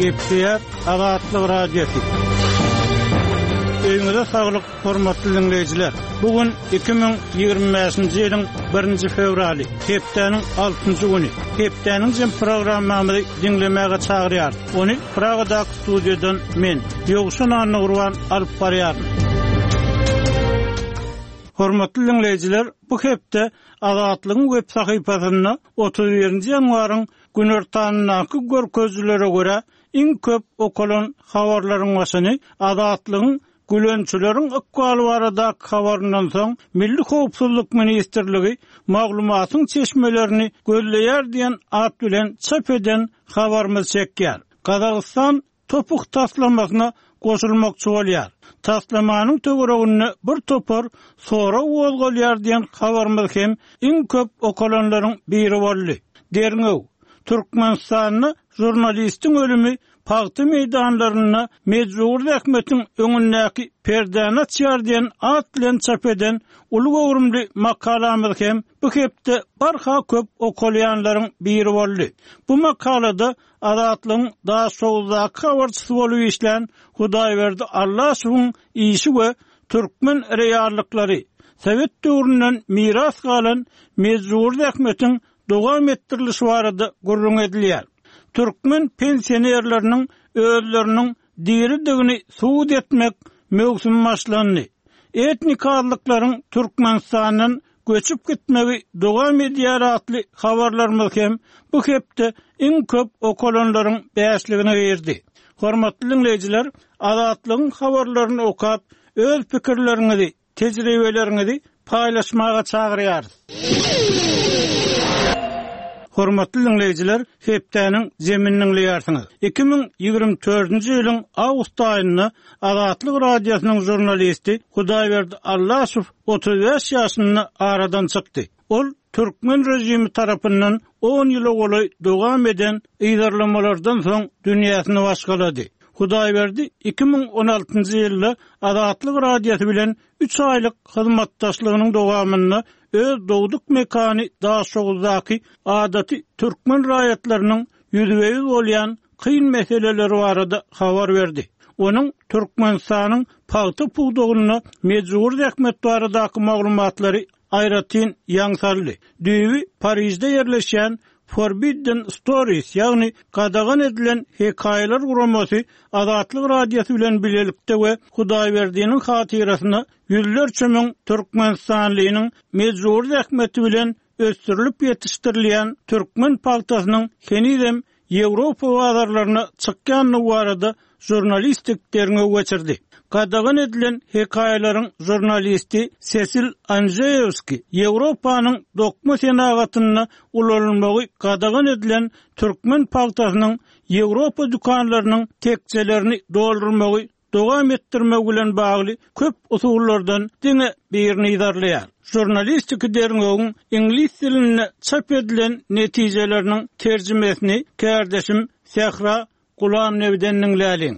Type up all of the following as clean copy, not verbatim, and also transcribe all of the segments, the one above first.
Gepleýär Azatlyk Radiosy. Öýüňize saglyk, hormatly diňleýjiler! Bu gün 2025-nji ýylyň birinji fewraly, hepdäniň altynjy güni. Hepdäniň jem programmamyzy diňlemäge çagyrýarys. Ony Pragadaky studiýadan men, Ýowşan Annagurban alyp barýaryn. Hormatly diňleýjiler, bu hepde Azatlygyň web sahypasynda 31-nji ýanwaryň günortanyndaky görkezijilere görä, iň köp okalan habarlaryň başyny Azatlygyň Gülençileriň ykbaly baradaky habaryndan soň, Milli howpsuzlyk ministrligi maglumatyň çeşmelerini gözleýär diýen at bilen çap eden habarymyz çekýär. Gazagystan Topuk taslamasyna goşulmakçy bolýar. Taslamanyň töwereginde bir topar sorag gozgalýar diýen habarymyz hem iň köp okalanlaryň biri boldy. Derňew, Türkmenistanda žurnalistiň ölümi pagta meýdanlarynda mejbury zähmetiň öňündäki perdäni açýar diýen at bilen çap eden uly göwrümli makalamyz hem bu hepde barha köp okalýanlaryň biri boldy. Bu makalada Azatlygyň Daşoguzdaky habarçysy bolup işlän Hudaýberdi Allaşowyň işi we türkmen reallyklary, sowet döwründen miras galan mejbury zähmetiň dowam etdirilişi barada gürrüň edilýär. Türkmen pensionerleriniň özleriniň diridigini subut etmek möwsümi başlandy. Etnik azlyklaryň Türkmenistandan göçüp gitmegi dowam edýär atly habarlarymyz hem bu hepde iň köp okalanlaryň bäşligine girdi. Hormatly diňleýjiler, Azatlygyň habarlaryny okap, öz pikirleriňizi, tejribeleriňizi paýlaşmaga çagyrýarys. Hormatly diňleýjiler, hepdäniň jemini diňleýärsiňiz. 2024-nji ýylyň awgust aýynda Azatlyk Radiosynyň žurnalisti Hudaýberdi Allaşow 35 ýaşynda aradan çykdy. Ol türkmen režimi tarapyndan on ýyla golaý dowam eden yzarlamalardan soň dünýäsini başgalady. Hudaýberdi 2016-njy ýylda Azatlyk Radiosy bilen üç aýlyk hyzmatdaşlygynyň dowamynda öz dogduk mekany Daşoguzdaky adaty türkmen raýatlarynyň ýüzbe-ýüz bolýan kyn meseleleri barada habar berdi. Onuň Türkmenistanyň pagta pudagynda mejbury zähmet baradaky maglumatlary aýratyn ýaň saldy. Düýbi Parižde ýerleşýän Forbidden Stories, ýagny Gadagan edilen hekaýalar guramasy Azatlyk Radiosy bilen bilelikde we Hudaýberdiniň hatyrasyna ýüzlerçe müň türkmenistanlynyň mejbury zähmeti bilen ösdürilip ýetişdirilýän türkmen pagtasynyň henizem Ýewropa bazarlaryna çykýandygy barada žurnalistik derňew geçirdi. Gadagan edilen hekaýalaryň žurnalisti Sesil Anžeýewski Ýewropanyň dokma senagatynda ulanylmagy gadagan edilen türkmen pagtasynyň Ýewropa dükanlarynyň tekjelerini doldurmagy dowam etdirmek bilen bagly köp usullardan diňe birini yzarlaýar. Žurnalistiki derňewiň iňlis dilinde çap edilen netijeleriniň terjimesini kärdeşim Sähra Gulamnebiden diňläliň.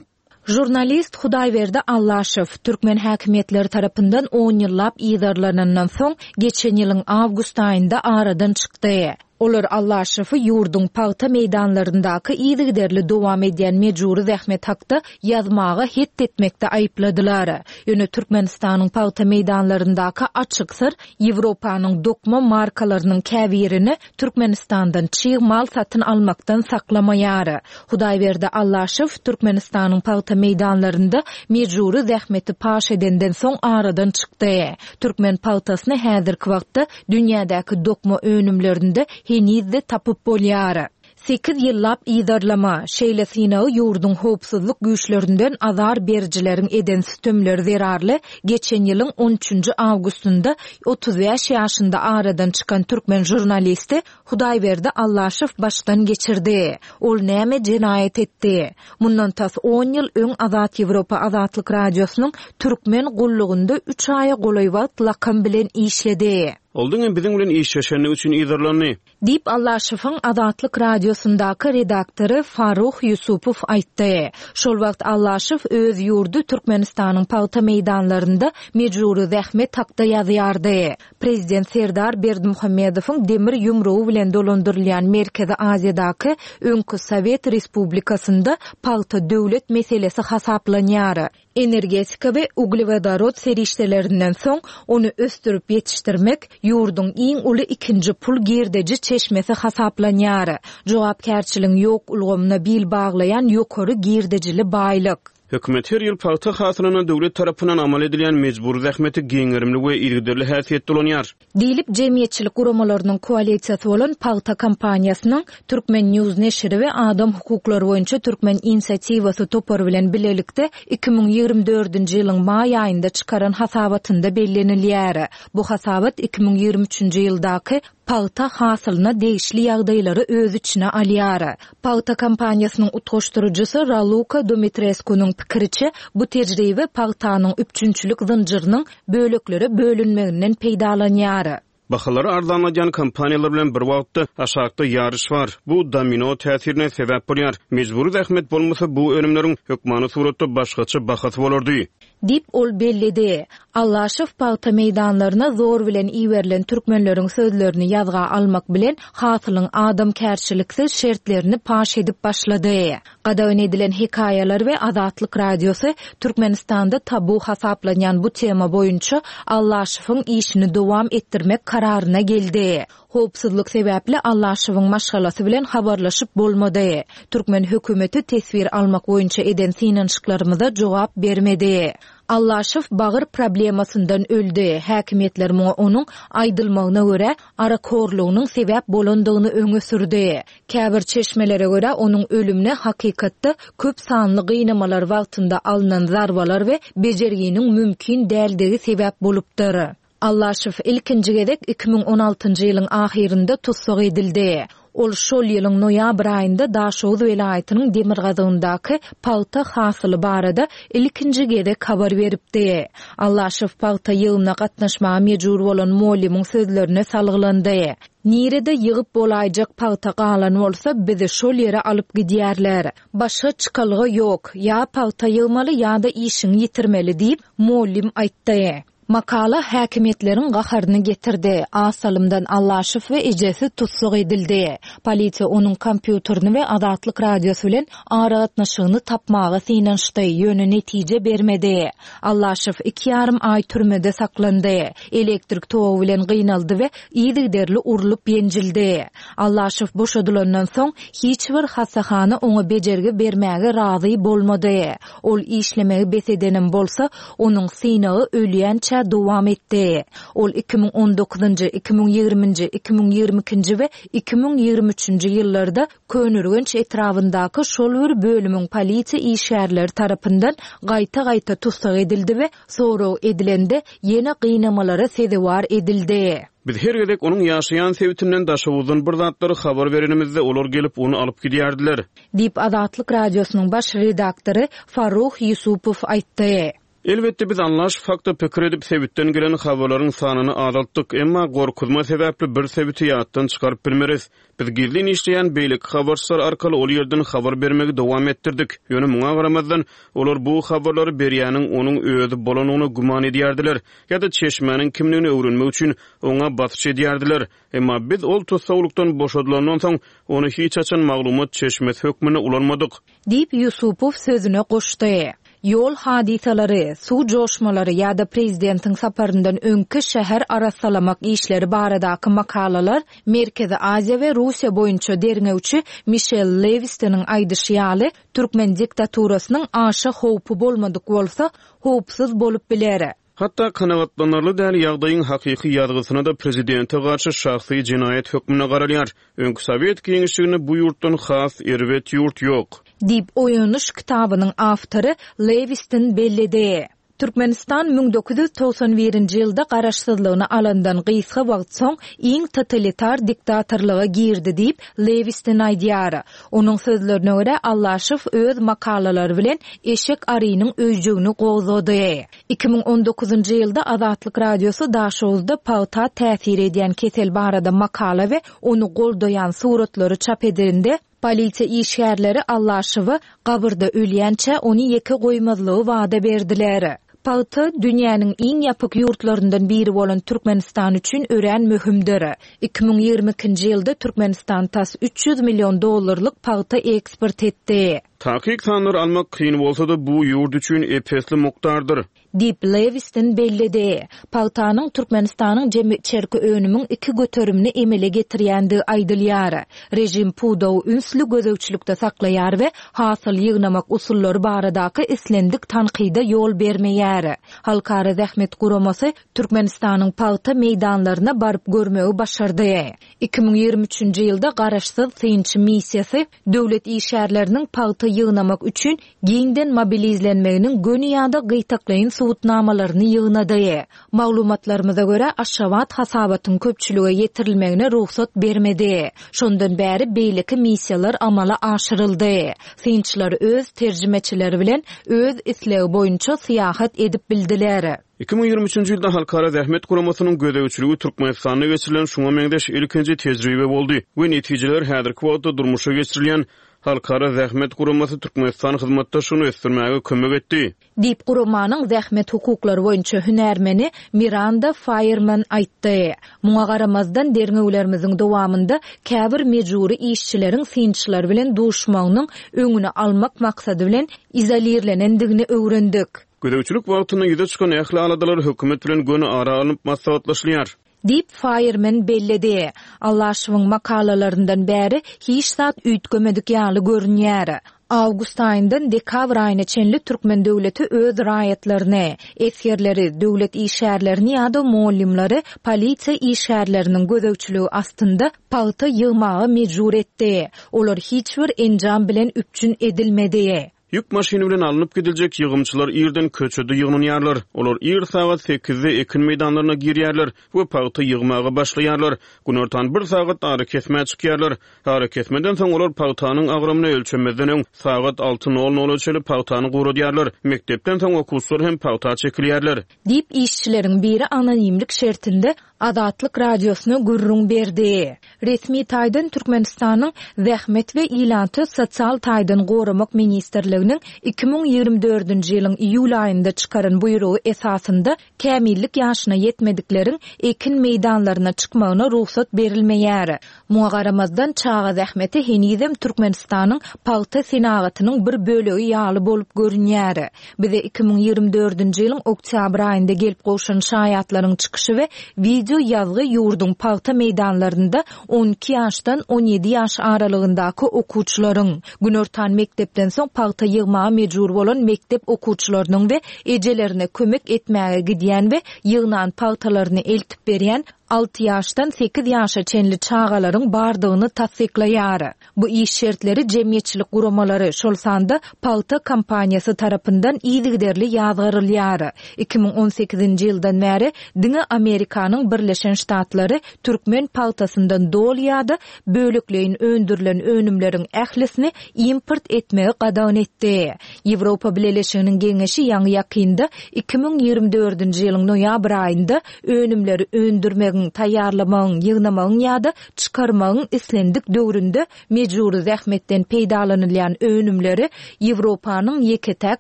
Žurnalist Hudaýberdi Allaşow, türkmen häkimiýetleri tarapyndan on ýyllap yzarlanandan soň, geçen ýylyň awgust aýynda aradan çykdy. Olar Allaşowy ýurduň pagta meýdanlaryndaky yzygiderli dowam edýän mejbury zähmet hakda ýazmaga het etmekde aýypladylar. Ýöne Türkmenistanyň pagta meýdanlaryndaky açyk syr Ýewropanyň dokma markalarynyň käbirini Türkmenistandan çig mal satyn almakdan saklamaýar. Hudaýberdi Allaşow Türkmenistanyň pagta meýdanlarynda mejbury zähmeti paş edenden soň aradan çykdy. Türkmen pagtasyny häzirki wagtda dünýädäki dokma önümlerinde heniz-de tapyp bolýar. Sekiz ýyllap yzarlama, şeýle synagy ýurduň howpsuzlyk güýçlerinden azar berijileriň eden sütemleri zerarly geçen ýylyň on üçünji awgustynda 35 ýaşynda aradan çykan türkmen žurnalisti Hudaýberdi Allaşow başdan geçirdi. Ol näme jenaýat etdi? Mundan tas on ýyl öň Azat Ýewropa Azatlyk Radiosynyň Türkmen gullugynda üç aýa golaý wagt lakam bilen işledi. Ol diňe biziň bilen işleşendigi üçin yzarlandy. Diýip, Allaşowyň Azatlyk Radiosyndaky redaktory Farruh Ýusupow aýtdy. Şol wagt Allaşow öz ýurdy Türkmenistanyň pagta meýdanlarynda mejbury zähmet hakda ýazýardy. Prezident Serdar Berdimuhamedowyň demir ýumrugy bilen dolandyrylýan Merkezi Aziýadaky öňki sowet respublikasynda pagta döwlet meselesi hasaplanýar. Energetika we uglewodorod serişdelerinden soň, ony ösdürip ýetişdirmek ýurduň iň uly ikinji pul girdeji çeşmesi hasaplanýar. Jogapkärçiligiň ýok ulgamyna bil baglaýan ýokary girdejili baýlyk. Hökümet her ýyl pagta hasylyna döwlet tarapyndan amal edilýän mejbury zähmeti giň gerimli we yzygiderli häsiýetde ulanýar. Diýlip, jemgyýetçilik guramalarynyň koalisiýasy bolan Pagta kampaniýasynyň Turkmen. News neşiri we Adam hukuklary boýunça Türkmen inisiatiwasy topary bilen bilelikde 2024-nji ýylyň maý aýynda çykaran hasabatynda bellenilýär. Bu hasabat 2023-nji ýyldaky pagta hasylyna degişli ýagdaýlary öz içine alýar. Pagta kampaniýasynyň utgaşdyryjysy Raluka Dumitreskunyň pikiriçe, bu tejribe pagtanyň üpjünçilik zynjyrynyň böleklere bölünmeginden peýdalanýar. Bahalary arzanladýan kompaniýalar bilen bir wagtda aşakda ýaryş bar. Bu domino täsirine sebäp bolýar. Mejbury zähmet bolmasa, bu önümleriň hökmany suratda başgaça bahasy bolardy. Diýip, ol belledi. Allaşow pagta meýdanlaryna zor bilen iberilen türkmenleriň sözlerini ýazga almak bilen, hasylyň adamkärçiliksiz şertlerini paş edip başlady. Gadagan edilen hekaýalar we Azatlyk Radiosy Türkmenistanda tabu hasaplanýan bu tema boýunça Allaşowyň işini dowam etdirmek kararyna geldi. Howpsuzlyk sebäpli Allaşowyň maşgalasy bilen habarlaşyp bolmady. Türkmen hökümeti teswir almak boýunça eden synanyşyklarymyza jogap bermedi. Allaşow bagyr problemasyndan öldi, häkimiýetler muňa onuň, aýdylmagyna görä, arakhorlugynyň sebäp bolandygyny öňe sürdi. Käbir çeşmelere görä, onuň ölümine hakykatda köp sanly gynamalar wagtynda alnan zarbalar we bejerginiň mümkin däldigi sebäp bolupdyr. Allaşow ilkinji gezek 2016-njy ýylyň ahyrynda tussag edildi. Ol şol ýylyň noýabr aýynda Daşoguz welaýatynyň demirgazygyndaky pagta hasyly barada ilkinji gezek habar beripdi. Allaşow pagta ýygymyna gatnaşmaga mejbur bolan mugallymyň sözlerine salgylandy. Nirede ýygyp bolaýjak pagta galan bolsa, bizi şol ýere alyp gidýärler. Başga çykalga ýok, ýa pagta ýygmaly ýa-da işiňi ýitirmeli diýip, mugallym aýtdy. Makala häkimiýetleriň gaharyny getirdi. Az salymdan Allaşow we ejesi tussag edildi. Polisiýa onuň kompýuterini we Azatlyk Radiosy bilen aragatnaşygyny tapmaga synanyşdy, ýöne netije bermedi. Allaşow iki ýarym aý türmede saklandy. Elektrik togy bilen gynaldy we yzygiderli urlup-ýenjildi. Allaşow boşadylandan soň, hiç bir hassahana oňa bejergi bermäge razy bolmady. Ol işlemegi bes edenem bolsa, onuň synagy ölýänçä dowam etdi. Ol 2019-njy, 2020-nji, 2022-nji we 2023-nji ýyllarda Köneürgenç etrabyndaky şol bir bölümiň polisiýa işgärleri tarapyndan gaýta-gaýta tussag edildi we sorag edilende ýene gynamalara sezewar edildi. Biz her gezek onuň ýaşaýan sebitinden Daşoguzdan bir zatlary habar berenimizde, olar gelip, ony alyp gidýärdiler. Diýip, Azatlyk Radiosynyň baş redaktory Farruh Ýusupow aýtdy. Elbetde, biz Allaşow hakda pikir edip, sebitden gelen habarlaryň sanyny azaltdyk. Emma gorkuzma sebäpli bir sebiti ýatdan çykaryp bilmeris. Biz gizlin işleýän beýleki habarçylar arkaly ol ýerden habar bermegi dowam etdirdik. Ýöne muňa garamazdan, olar bu habarlary berýäniň onuň özi bolandygyna güman edýärdiler ýa-da çeşmäniň kimdigini öwrenmek üçin oňa basyş edýärdiler. Emma biz ol tussaglykdan boşadylandan soň, ony hiç haçan maglumat çeşmesi hökmünde ulanmadyk. Diýip, Ýusupow sözüne goşdy. Ýol hadysalary, suw joşmalary ýa-da prezidentiň saparyndan öňki şäher arassalamak işleri baradaky makalalar Merkezi Aziýa we Russiýa boýunça derňewçi Mişel Lewistonyň aýdyşy ýaly, türkmen diktaturasynyň aşa howpy bolmadyk bolsa, howpsuz bolup biler. Hatda kanagatlanarly däl ýagdaýyň hakyky ýazgysyna-da prezidente garşy şahsy jenaýat hökmünde garalýar. Öňki sowet giňişliginde bu ýurtdan has erbet ýurt ýok. Diýip, Oýanyş kitabynyň awtory Lewiston belledi. Türkmenistan 1991-nji ýylda garaşsyzlygyny alandan gysga wagt soň iň totalitar diktatorlyga girdi diýip, Lewiston aýdýar. Onuň sözlerine görä, Allaşow öz makalalary bilen eşek arynyň öýjügini gozgady. 2019-njy ýylda Azatlyk Radiosy Daşoguzda pagta täsir edýän kesel barada makala we ony goldaýan suratlary çap edende, polisiýa işgärleri Allaşowa gabyrda ölýänçä ony ýeke goýmazlygy wada berdiler. Pagta, dünýäniň iň ýapyk ýurtlaryndan biri bolan Türkmenistan üçin örän möhümdir. 2022-nji ýylda Türkmenistan tas 300 million dollarlyk pagta eksport etdi. Takyk sanlary almak kyn bolsa-da, bu ýurt üçin ep-esli mukdardyr. Diýip, Lewiston belledi. Pagtanyň Türkmenistanyň jemi içerki önümiň iki göterimini emele getirýändigi aýdylýar. Režim pudagy ünsli gözegçilikde saklaýar we hasyl ýygnamak usullary baradaky islendik tankyda ýol bermeýär. Halkara zähmet guramasy Türkmenistanyň pagta meýdanlaryna baryp görmegi başardy. 2023-nji ýylda garaşsyz synçy missiýasy döwlet işgärleriniň pagta ýygnamak üçin giňden mobilizlenmeginiň göni ýa-da gytaklaýyn subutnamalaryny ýygnady. Maglumatlarymyza görä, Aşgabat hasabatyň köpçülige ýetirilmegine rugsat bermedi. Şondan bäri beýleki missiýalar amala aşyryldy. Synçylar öz terjimeçileri bilen öz islegi boýunça syýahat edip bildiler. 2023-nji ýylda Halkara Zähmet Guramasynyň gözegçiligi Türkmenistanda geçirilen şuňa meňzeş ilkinji tejribe boldy we netijeler häzirki wagtda durmuşa geçirilýän Halkara Zähmet Guramasy Türkmenistan hyzmatdaşlygyny ösdürmäge kömek etdi. Diýip, guramanyň zähmet hukuklary boýunça hünärmeni Miranda Faýerman aýtdy. Muňa garamazdan, derňewlerimiziň dowamynda käbir mejbury işçileriň synçylar bilen duşmagynyň öňüni almak maksady bilen izolirlenendigini öwrendik. Gözegçilik wagtynda ýüze çykan ähli aladalar hökümet bilen göni ara alnyp maslahatlaşylýar. Diýip, Faýermen belledi. Allaşowyň makalalaryndan bäri hiç zat üýtgemedik ýaly görünýär. Awgust aýyndan dekabr aýyna çenli türkmen döwleti öz raýatlaryny, esgerleri, döwlet işgärlerini ýa-da mugallymlary polisiýa işgärleriniň gözegçiligi astynda pagta ýygmaga mejbur etdi. Olar hiç bir enjam bilen üpjün edilmedi. Ýük maşyny bilen alnyp gidiljek ýygymçylar irden köçede ýygnanýarlar. Olar ir sagat sekizde ekin meýdanlaryna girýärler we pagta ýygmaga başlaýarlar. Günortan bir sagat arakesmä çykýarlar. Arakesmeden soň olar pagtanyň agramyny ölçemezden öň sagat alty nol nola çenli pagtany guradýarlar. Mekdepden soň okuwçylar hem pagta çekilýärler. Diýip, işçileriň biri anonimlik şertinde Azatlyk Radiosyna gürrüň berdi. Resmi taýdan Türkmenistanyň Zähmet we ilaty sosial taýdan goramak ministrliginiň 2024-nji ýylyň iýul aýynda çykaran buýrugy esasynda kämillik ýaşyna ýetmedikleriň ekin meýdanlaryna çykmagyna rugsat berilmeýär. Muňa garamazdan, çaga zähmeti henizem Türkmenistanyň pagta senagatynyň bir bölegi ýaly bolup görünýär. Bize 2024-nji ýylyň oktýabr aýynda gelip gowşan şaýatlaryň çykyşy we wideo ýazgy ýurduň pagta meýdanlarynda 12 ýaşdan 17 ýaş aralygyndaky okuwçylaryň, günortan mekdepden soň pagta ýygmaga mejbur bolan mekdep okuwçylarynyň we ejelerine kömek etmäge gidýän we ýygnan pagtalaryny eltip berýän alty ýaşdan sekiz ýaşa çenli çagalaryň bardygyny tassyklaýar. Bu iş şertleri jemgyýetçilik guramalary, şol sanda pagta kompaniýasy tarapyndan yzygiderli ýazgarylýar. 2018-nji ýyldan bäri diňe Amerikanyň Birleşen Ştatlary türkmen pagtasyndan doly ýa-da bölekleýin öndürilen önümleriň ählisini import etmegi gadagan etdi. Ýewropa Bileleşiginiň Geňeşi ýaňy-ýakynda, 2024-nji ýylyň noýabr aýynda önümleri öndürmegiň, taýýarlamagyň, ýygnamagyň ýa-da çykarmagyň islendik döwründe mejbury zähmetden peýdalanylýan önümleri Ýewropanyň ýeke-täk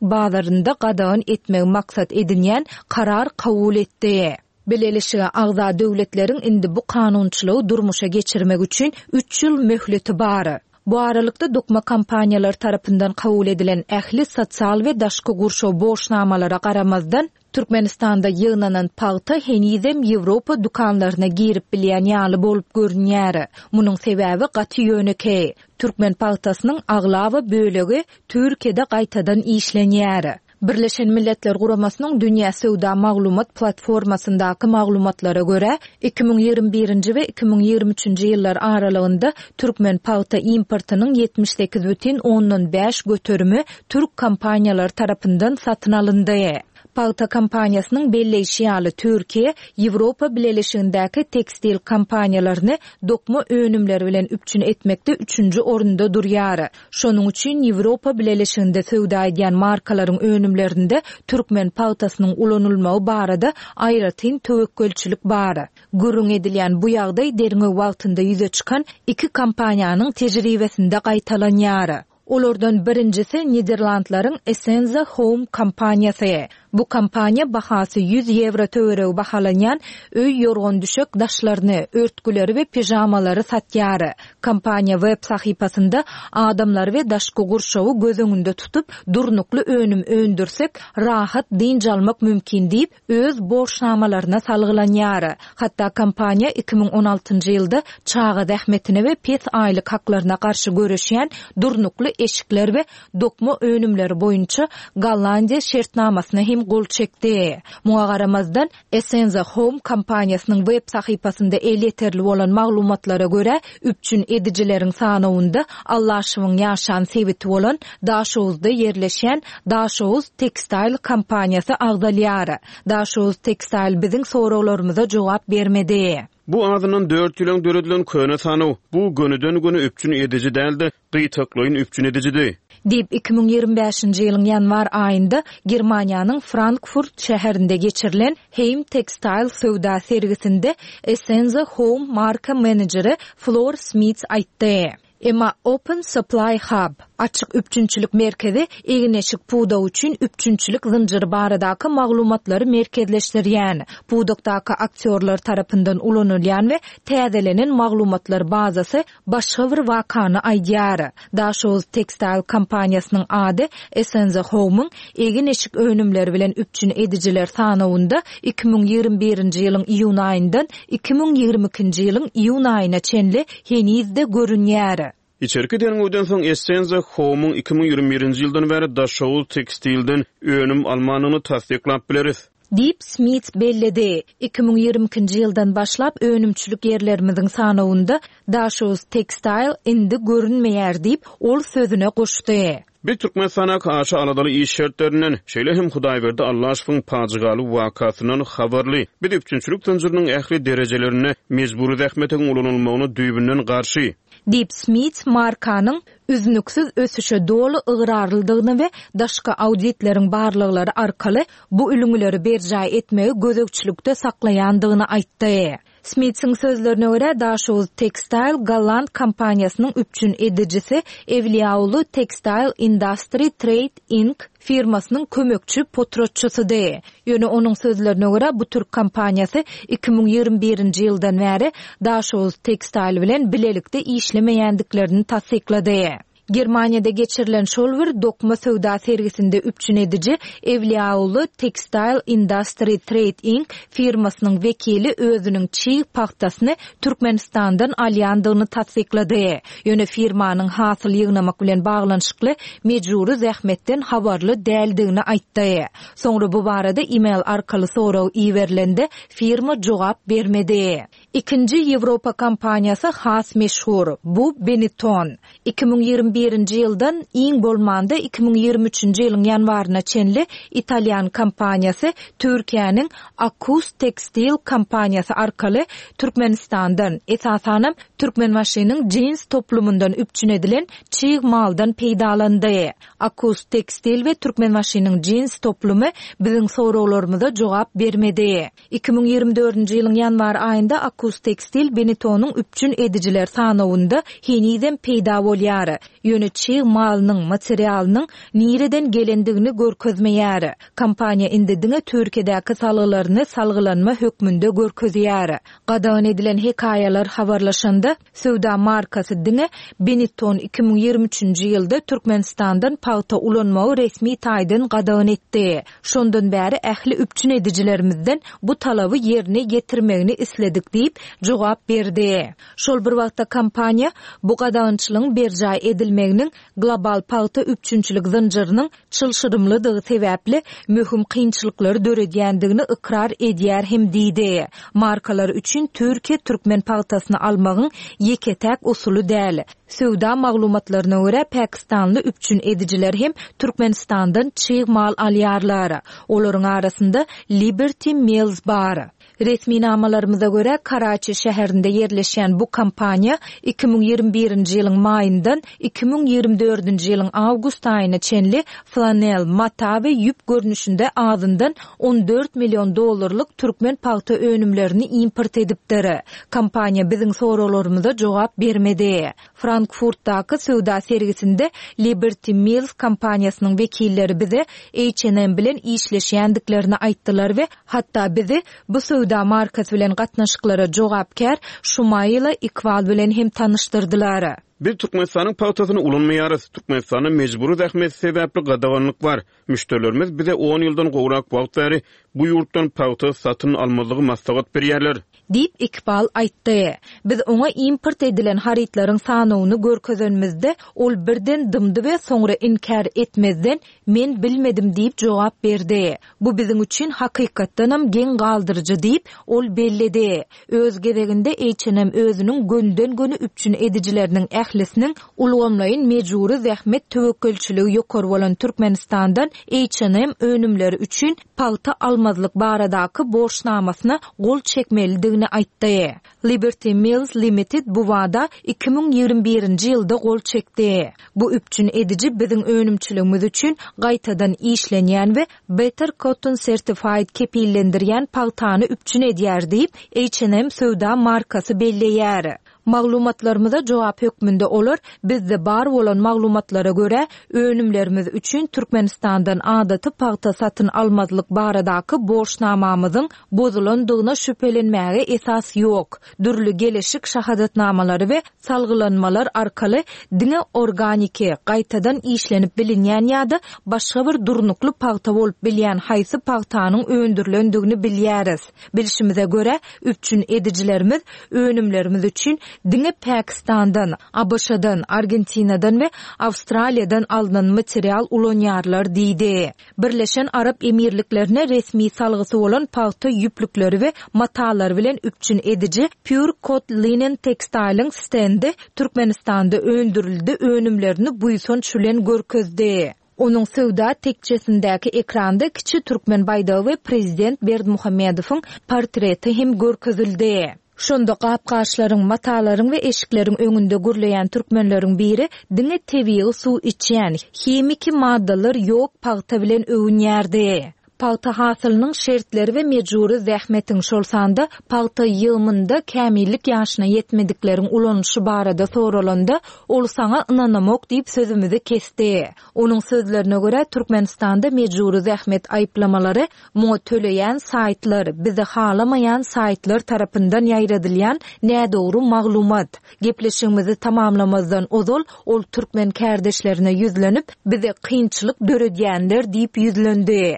bazarynda gadagan etmegi maksat edinýän karar kabul etdi. Bileleşige agza döwletleriň indi bu kanunçylygy durmuşa geçirmek üçin üç ýyl möhleti bar. Bu aralykda dokma kompaniýalary tarapyndan kabul edilen ähli sosial we daşky gurşaw borçnamalara garamazdan, Türkmenistanda ýygnanan pagta henizem Ýewropa dükanlaryna girip bilýän ýaly bolup görünýär. Munuň sebäbi gaty ýönekeý. Türkmen pagtasynyň aglaba bölegi Türkiýede gaýtadan işlenýär. Birleşen Milletler Guramasynyň Dünýä söwda maglumat platformasyndaky maglumatlara görä, 2021-nji we 2023-nji ýyllar aralygynda türkmen pagta importynyň 78 bütin ondan bäş göterimi türk kompaniýalary tarapyndan satyn alyndy. Pagta kompaniýasynyň belleýşi ýaly, Türkiýe Ýewropa Bileleşigindäki tekstil kompaniýalaryny dokma önümleri bilen üpjün etmekde üçünji orunda durýar. Şonuň üçin Ýewropa Bileleşiginde söwda edýän markalaryň önümlerinde türkmen pagtasynyň ulanylmagy barada aýratyn töwekgelçilik bar. Gürrüň edilýän bu ýagdaý derňew wagtynda ýüze çykan iki kompaniýanyň tejribesinde gaýtalanýar. Olardan birinjisi Niderlandlaryň Essenza Home kompaniýasy. Bu kompaniýa bahasy 100 ýewro töweregi bahalanýan öý ýorgan-düşek daşlaryny, örtgüleri we pižamalary satýar. Kompaniýa web sahypasynda adamlary we daşky gurşawy göz öňünde tutup, durnukly önüm öndürsek, rahat dynç almak mümkin diýip, öz borçnamalaryna salgylanýar. Hatda kompaniýa 2016-njy ýylda çaga zähmetine we pes aýlyk haklaryna garşy göreşýän durnukly eşikler we dokma önümleri boýunça Gollandiýa şertnamasyna hem gol çekdi. Muňa garamazdan, Essenza Home kompaniýasynyň web sahypasynda elýeterli bolan maglumatlara görä, üpjün edijileriň sanawynda Allaşowyň ýaşan sebiti bolan Daşoguzda ýerleşýän Daşoguz Textile kompaniýasy agzalýar. Daşoguz Textile biziň soraglarymyza jogap bermedi. Bu azyndan dört ýyl öň döredilen köne sanaw. Bu gönüden-göni üpjün ediji däl-de, gytaklaýyn üpjün edijidi. Diýip, 2025-nji ýylyň ýanwar aýynda Germaniýanyň Frankfurt şäherinde geçirilen Heimtextil söwda sergisinde Essenza Home marka menejeri Flor Smits aýtdy. Emma Open Supply Hub, Açyk üpjünçilik merkezi, egin-eşik pudagy üçin üpjünçilik zynjyry baradaky maglumatlary merkezleşdirýän, pudakdaky aktýorlar tarapyndan ulanylýan we täzelenen maglumatlar bazasy başga bir wakany aýdýar. Daşoguz Textile kompaniýasynyň ady Essenza Home-yň egin-eşik önümleri bilen üpjün edijiler sanawynda 2021-nji ýylyň iýun aýyndan 2022-nji ýylyň iýun aýyna çenli heniz-de görünýär. Içerki derňewden soň Essenza Home-yň 2021-nji ýyldan bäri Daşoguz Tekstilden önüm almandygyny tassyklap bileris. Diýip, Smits belledi. 2022-nji ýyldan başlap önümçilik ýerlerimiziň sanawynda Daşoguz Textile indi görünmeýär diýip, ol sözüne goşdy. Biz Türkmenistandaky aşa aladaly iş şertlerinden, şeýle hem Hudaýberdi Allaşowyň pajygaly wakasyndan habarly. Biz üpjünçilik zynjyrynyň ähli derejelerinde mejbury zähmetiň ulanylmagyna düýbünden garşy. Diýip, Smits markanyň üznüksiz ösüşe doly ygrarlydygyny we daşky auditleriň barlaglary arkaly bu ülňüleri berjaý etmegi gözegçilikde saklaýandygyny aýtdy. Smitsiň sözlerine görä, Daşoguz Textile golland kompaniýasynyň üpjün edijisi Ewliýaulu Textile Industry Trade Inc. Firmasynyň kömekçi potratçysydy. Ýöne onuň sözlerine görä, bu türk kompaniýasy 2021-nji ýyldan bäri Daşoguz Textile bilen bilelikde işlemeýändiklerini tassyklady. Germaniýada geçirilen şol bir dokma söwda sergisinde üpjün ediji Ewliýaoğlu Textile Industry Trade Inc. Firmasynyň wekili özüniň çig pagtasyny Türkmenistandan alýandygyny tassyklady. Ýöne firmanyň hasyl ýygnamak bilen baglanyşykly mejbury zähmetden habarly däldigini aýtdy. Soňra bu barada e-mail arkaly sorag iberilende firma jogap bermedi. Ikinji ýewropa kompaniýasy has meşhur, bu Benetton. 2021-nji ýyldan iň bolmanda 2023-nji ýylyň ýanwaryna çenli italýan kompaniýasy Türkiýäniň Akkus Tekstil kompaniýasy arkaly Türkmenistandan, esasanam Türkmenbaşynyň jins toplumyndan üpjün edilen çig maldan peýdalandy. Akkus Tekstil we Türkmenbaşynyň jins toplumy biziň soraglarymyza jogap bermedi. 2024-nji ýylyň ýanwar aýynda Akkus Tekstil Benetonyň üpjün edijiler sanawynda henizem peýda bolýar. Ýöne çig malynyň, materialynyň nireden gelendigini görkezmeýär. Kompaniýa indi diňe Türkiýedäki salgylaryny salgylanma hökmünde görkezýär. Gadagan edilen hekaýalar habarlaşanda, Söwda markasy diňe Benetton 2023-nji ýylda Türkmenistandan pagta ulanmagy resmi taýdan gadagan etdi. Şondan bäri ähli üpjün edijilerimizden bu talaby ýerine ýetirmegini isledik diýip, diýip, jogap berdi. Şol bir wagtda kompaniýa bu gadagançylygyň berjaý edilmeginiň global pagta üpjünçilik zynjyrynyň çylşyrymlydygy sebäpli möhüm kynçylyklary döredýändigini ykrar edýär hem diýdi. Markalar üçin Türkiýe türkmen pagtasyny almagyň ýeke-täk usuly däl. Söwda maglumatlaryna görä, pakistanly üpjün edijiler hem Türkmenistandan çig mal alýarlar. Olaryň arasynda Liberty Mills bar. Resminamalarymyza görä, Karaçi şäherinde ýerleşýän bu kompaniýa 2021-nji ýylyň maýyndan 2024-nji ýylyň awgust aýyna çenli flanel, mata we ýüp görnüşinde azyndan 14 million dollarlyk türkmen pagta önümlerini import edipdir. Kompaniýa biziň soraglarymyza jogap bermedi. Frankfurtdaky söwda sergisinde Liberty Mills kompaniýasynyň wekilleri bize H&M bilen işleşýändiklerini aýtdylar we hatda bizi bu söwda markasy bilen gatnaşyklara jogapkär Şumaila Ikwal bilen hem tanyşdyrdylar. Biz Türkmenistanyň pagtasyny ulanmaýarys. Türkmenistanda mejbury zähmet sebäpli gadaganlyk bar. Müşderilerimiz bize on ýyldan gowrak wagt bäri bu ýurtdan pagta satyn almazlygy maslahat berýärler. Diýip, Ikbal aýtdy. Biz oňa import edilen harytlaryň sanawyny görkezenimizde, ol birden dymdy we soňra inkär etmezden, Men bilmedim diýip jogap berdi. Bu biziň üçin hakykatdanam geň galdyryjy diýip, ol belledi. Öz gezeginde H&M özüniň gönüden-göni üpjün edijileriniň ählisiniň ulgamlaýyn mejbury zähmet töwekgelçiligi ýokary bolan Türkmenistandan H&M önümleri üçin pagta almazlyk baradaky borçnamasyna gol çekmelidigini aýtdy. Liberty Mills Limited bu wada 2021-nji ýylda gol çekdi. Bu üpjün ediji biziň önümçiligimiz üçin gaýtadan işlenýän we Better Cotton Certified kepillendirýän pagtany üpjün edýär diýip, H&M söwda markasy belleýär. Maglumatlarymyza jogap hökmünde olar bizde bar bolan maglumatlara görä, önümlerimiz üçin Türkmenistandan adaty pagta satyn almazlyk baradaky borçnamamyzyň bozulandygyna şübhelenmäge esas ýok. Dürli geleşik şahadatnamalary we salgylanmalar arkaly diňe organiki, gaýtadan işlenip bilinýän ýa-da başga bir durnukly pagta bolup bilýän haýsy pagtanyň öndürilendigini bilýäris. Bilşimize görä, üpjün edijilerimiz önümlerimiz üçin diňe Pakistandan, ABŞ-dan, Argentinadan we Awstraliýadan alnan material ulanýarlar diýdi. Birleşen Arap Emirliklerine resmi salgysy bolan pagta ýüplükleri we matalary bilen üpjün ediji Pure Cot Linen Textile-iň stendi Türkmenistanda öndürildi önümlerini buýsanç bilen görkezdi. Onuň söwda tekjesindäki ekranda kiçi türkmen baýdagy we prezident Berdimuhamedowyň portreti hem görkezildi. Şonda gap-gaçlaryň, matalaryň we eşikleriň öňünde gürleýän türkmenleriň biri diňe tebigy suw içýän, himiki maddalar ýok pagta bilen öwünýärdi. Pagta hasylynyň şertleri we mejbury zähmetiň, şol sanda pagta ýygymynda kämillik ýaşyna ýetmedikleriň ulanylyşy barada soralanda, ol saňa ynanamok diýip sözümizi kesdi. Onuň sözlerine görä, Türkmenistanda mejbury zähmet aýyplamalary Muňa töleýän saýtlar, bizi halamaýan saýtlar tarapyndan ýaýradylýan nädogry maglumat. Gepleşigimizi tamamlamazdan ozal, ol türkmen kärdeşlerine ýüzlenip, bize kynçylyk döredýänler diýip ýüzlendi.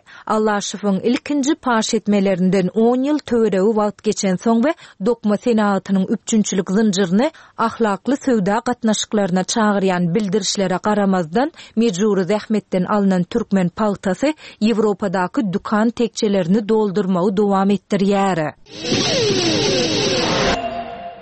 Allaşowyň ilkinji paş etmelerinden on ýyl töweregi wagt geçensoň we dokma senagatynyň üpjünçilik zynjyryny Ahlakly söwda gatnaşyklaryna çagyrýan bildirişlere garamazdan, mejbury zähmetden alnan türkmen pagtasy Ýewropadaky dükan tekjelerini doldurmagy dowam etdirýär.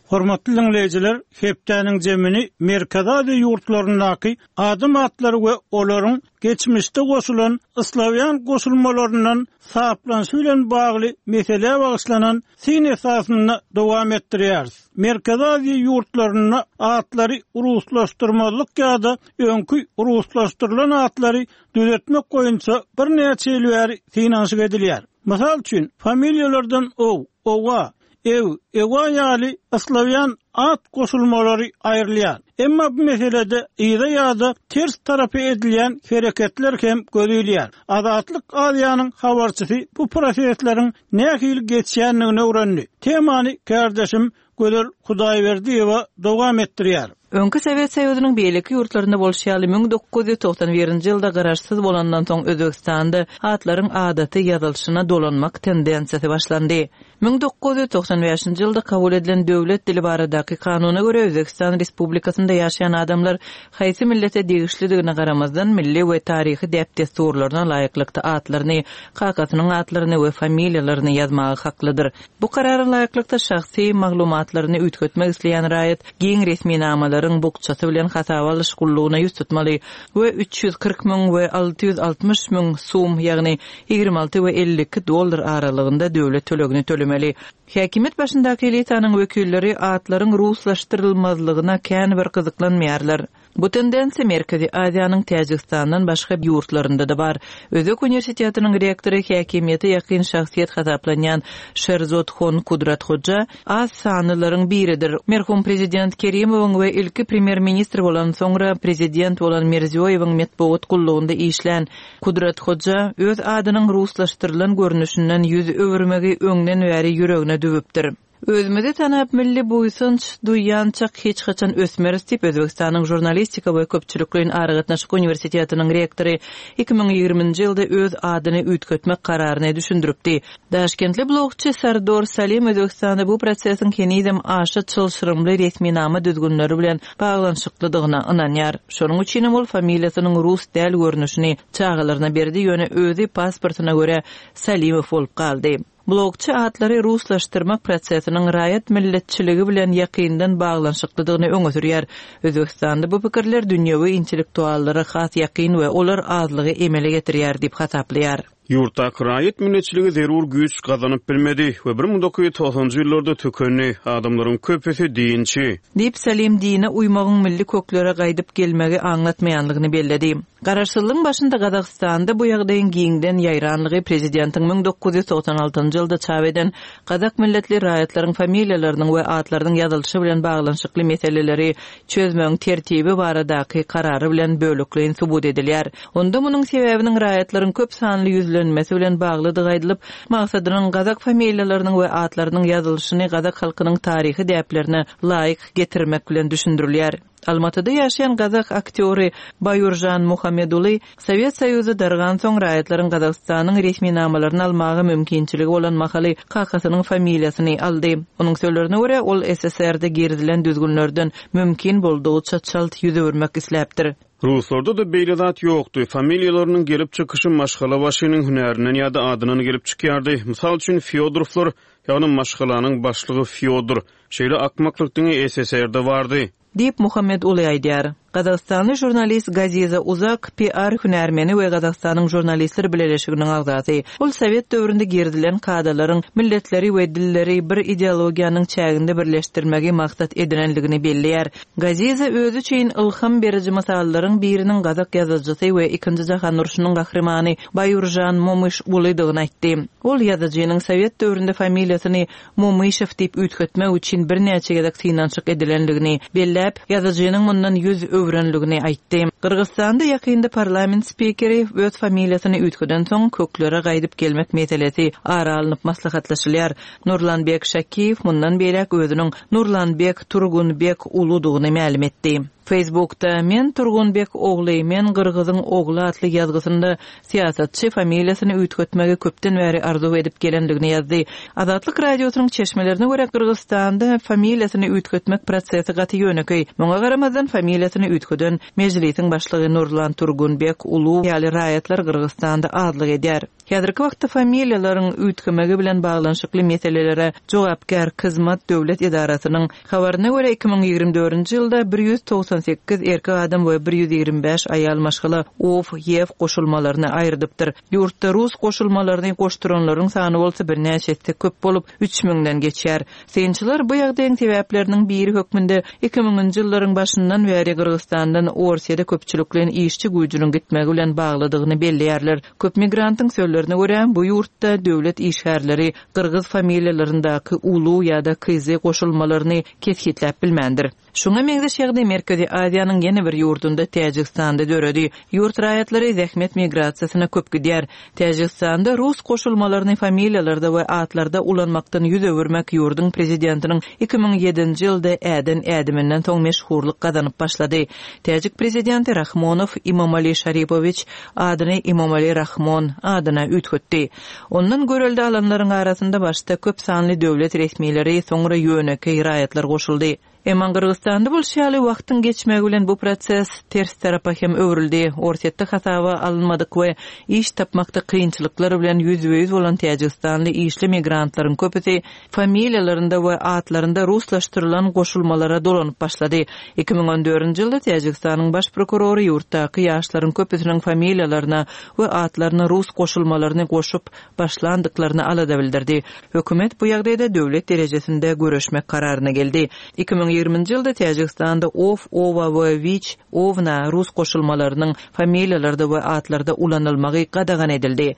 Hormatly diňleýjiler, hepdäniň jemini Merkezi Aziýa ýurtlaryndaky adam atlary we olaryň geçmişde goşulan slawýan goşulmalaryndan saplanyşy bilen bagly meselä bagyşlanan syn esasynda dowam etdirýäris. Merkezi Aziýa ýurtlarynda atlary ruslaşdyrmazlyk ýa-da öňki ruslaşdyrylan atlary düzetmek boýunça birnäçe ýyl bäri synanyşyk edilýär. Mysal üçin, familiýalardan ow, owa, ew, ewa ýaly slawýan at goşulmalary aýrylýar. Emma bu meselede yza ýa-da ters tarapa edilýän hereketler hem göze ilýär. Azatlyk Aziýanyň habarçysy bu prosesleriň nähili geçýändigini öwrendi. Temany kärdeşim Gözel Hudaýberdiýewa dowam etdirýär. Öňki Sowet Soýuzynyň beýleki ýurtlarynda bolşy ýaly, 1991-nji ýylda garaşsyz bolandan soň Özbegistanda atlaryň adaty ýazylyşyna dolanmak tendensiýasy başlandy. 1995-nji ýylda kabul edilen Döwlet dili baradaky kanuna görä, Özbegistan Respublikasynda ýaşaýan adamlar haýsy millete degişlidigine garamazdan, milli we taryhy däp-dessurlaryna laýyklykda atlaryny, kakasynyň atlaryny we familiýalaryny ýazmaga haklydyr. Bu karara laýyklykda, şahsy maglumatlaryny üýtgetmek isleýän raýat giň resminamalaryň bukjasy bilen hasaba alyş gullugyna ýüz tutmaly we 340 müň we 660 müň sum, ýagny 26 we 52 dollar aralygynda döwlet tölegini tölemeli. Häkimiýet başyndaky elitanyň wekilleri atlaryň ruslaşdyrylmazlygyna kän bir gyzyklanmaýarlar. Bu tendensiýa Merkezi Aziýanyň Täjigistandan başga ýurtlarynda-da bar. Özbek uniwersitetiniň rektory häkimiýete ýakyn şahsyýet hasaplanýan Şerzodhon Kudrathoja az sanlylaryň biridir. Merhum prezident Kerimowyň we ilki premýer-ministr bolan, soňra prezident bolan Mirziýoýewiň metbugat gullugynda işlän Kudrathoja öz adynyň ruslaşdyrylan görnüşinden ýüz öwürmegi öňden bäri ýüregine düwüpdir. Özümizi tanap, milli buýsanç duýýançak hiç haçan ösmeris diýip, Özbegistanyň Žurnalistika we köpçülikleýin aragatnaşyk uniwersitetiniň rektory 2020-nji ýylda öz adyny üýtgetmek kararyny düşündiripdi. Daşkentli blogçy Sardor Salim Özbegistanda bu prosesiň henizem aşa çylşyrymly resminama düzgünleri bilen baglanyşyklydygyna ynanýar. Şonuň üçinem ol familiýasynyň rus däl görnüşini çagalaryna berdi, ýöne özi pasportyna görä Salimow bolup galdy. Blogçy atlary ruslaşdyrmak prosesiniň raýat milletçiligi bilen ýakyndan baglanyşyklydygyny öňe sürýär. Özbegistanda bu pikirler dünýewi intellektuallara has ýakyn we olar azlygy emele getirýär diýip hasaplaýar. Ýurtdaky raýat milletçiligi zerur güýç gazanyp bilmedi we 1990-njy ýyllarda tükendi. Adamlaryň köpüsi dinçi. Diýip, Salim dine uýmagyň milli köklere gaýdyp gelmegi aňlatmaýanlygyny belledi. Garaşsyzlygyň başynda Gazagystanda bu ýagdaýyň giňden ýaýranlygy prezidentiň 1996-njy ýylda çap eden gazak milletli raýatlaryň familiýalarynyň we atlarynyň ýazylyşy bilen baglanyşykly meseleleri çözmegiň tertibi baradaky karary bilen bölekleýin subut edilýär. Onda munuň sebäbiniň raýatlaryň köp sanly ýüzlenmesi bilen baglydygy aýdylyp, maksadynyň gazak familiýalarynyň we atlarynyň ýazylyşyny gazak halkynyň taryhy däplerine laýyk getirmek bilen düşündirilýär. Almatyda ýaşaýan gazak aktýory Baýuržan Muhameduly Sowet Soýuzy dargansoň raýatlaryň Gazagystanyň resminamalaryny almaga mümkinçiligi bolan mahaly kakasynyň familiýasyny aldy. Onuň sözlerine görä, ol SSR-de girizilen düzgünlerden mümkin boldugyça çalt ýüz öwürmek isläpdir. Ruslarda-da beýle zat ýokdy. Familiýalarynyň gelip çykyşy maşgalabaşynyň hünärinden ýa-da adyndan gelip çykýardy. Mysal üçin, Fýodorowlar, ýagny maşgalanyň başlygy Fýodor. Şeýle akmaklyk diňe SSR-de bardy. Diýip, Muhammet Uly aýdýar. Gazagystanly žurnalist Gaziza Uzak PR hünärmeni we Gazagystanyň Žurnalistler bileleşiginiň agzasy. Ol sowet döwründe girizilen kadalaryň milletleri we dilleri bir ideologiýanyň çäginde birleşdirmegi maksat edinenligini belleýär. Gaziza özi üçin ylham beriji mysallaryň biriniň gazak ýazyjysy we Ikinji jahan urşunyň gahrymany Baýuržan Momyş Ulydygyny aýtdy. Ol ýazyjynyň sowet döwründe familiýasyny Momyşew diýip üýtgetmek üçin birnäçe gezek synanyşyk edilendigini belläp, ýazyjynyň mundan ýüz öwrenligini aýtdy. Gyrgyzystanda ýakynda parlament spikeri öz familiýasyny üýtgedensoň, köklere gaýdyp gelmek meselesi ara alnyp maslahatlaşylýar. Nurlanbek Şakiýew mundan beýläk özüniň Nurlanbek Turgunbek uludygyny mälim etdi. Facebookda Men Turgunbek ogly, men gyrgyzyň ogly atly ýazgysynda syýasatçy familiýasyny üýtgetmegi köpden bäri arzuw edip gelendigini ýazdy. Azatlyk Radiosynyň çeşmelerine görä, Gyrgyzystanda familiýasyny üýtgetmek prosesi gaty ýönekeý. Muňa garamazdan, familiýasyny üýtgeden Mejlisiň başlygy Nurlan Turgunbek Ulu ýaly raýatlar Gyrgyzystanda azlyk edýär. Häzirki wagtda familiýalaryň üýtgemegi bilen baglanyşykly meselelere jogapkär Kyzmat döwlet edarasynyň habaryna görä, 2024-nji ýylda 198 erkek adam we 125 aýal maşgala ow, ýew goşulmalaryny aýyrdypdyr. Ýurtda rus goşulmalaryny goşduranlaryň sany bolsa birnäçe esse köp bolup, üç müňden geçýär. Synçylar bu ýagdaýyň sebäpleriniň biri hökmünde iki müňünji ýyllaryň başyndan bäri Gyrgyzystandan Orsýede köpçülikleýin işçi güýjüniň gitmegi bilen baglydygyny belleýärler. Köp migrantyň sözlerine görä, bu ýurtda döwlet işgärleri gyrgyz familiýalaryndaky ulu ýa-da kyzy goşulmalaryny kesgitläp bilmändir. Şuňa meňzeş ýagdaý Merkezi Aziýanyň ýene bir ýurdunda, Täjigistanda döredi. Ýurt raýatlary zähmet migrasiýasyna köp gidýär. Täjigistanda rus goşulmalaryny familiýalarda we atlarda ulanmakdan ýüz öwürmek ýurduň prezidentiniň 2007-nji ýylda äden ädiminden soň meşhurlyk gazanyp başlady. Täjik prezidenti Rahmonow Imomali Şaripowiç adyny Imomali Rahmon adyna üýtgetdi. Ondan görelde alanlaryň arasynda başda köp sanly döwlet resmileri, soňra ýönekeý raýatlar goşuldy. Emma Gyrgyzystanda bolşy ýaly, wagtyň geçmegi bilen bu proses ters tarapa hem öwrüldi. Orsýetde hasaba alynmadyk we iş tapmakda kynçylyklar bilen ýüzbe-ýüz bolan täjigistanly işli migrantlaryň köpüsi familiýalarynda we atlarynda ruslaşdyrylan goşulmalara dolanyp başlady. 2014-nji ýylda Täjigistanyň baş prokurory ýurtdaky ýaşlaryň köpüsiniň familiýalaryna we atlaryna rus goşulmalaryny goşup başlandyklaryna alada bildirdi. Hökümet bu ýagdaýda döwlet derejesinde göreşmek kararyna geldi. 2020-nji ýylda Täjigistanda ow, owa we wiç, owna rus goşulmalarynyň familiýalarda we atlarda ulanylmagy gadagan edildi.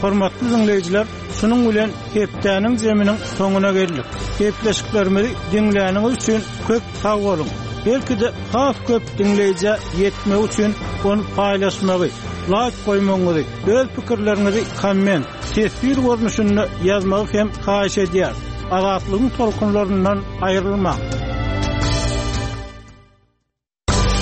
Hormatly diňleýjiler, şunuň bilen hepdäniň zeminiň soňuna geldik. Gepleşiklerimizi diňläniňiz üçin köp sag boluň. Belki-de has köp diňleýjä ýetmegi üçin ony paýlaşmagy, laýk goýmagyňyzy, öz pikirleriňizi komment, teswir görnüşinde ýazmagy hem haýyş edýäris. Azatlygyň tolkunlaryndan aýrylmaň!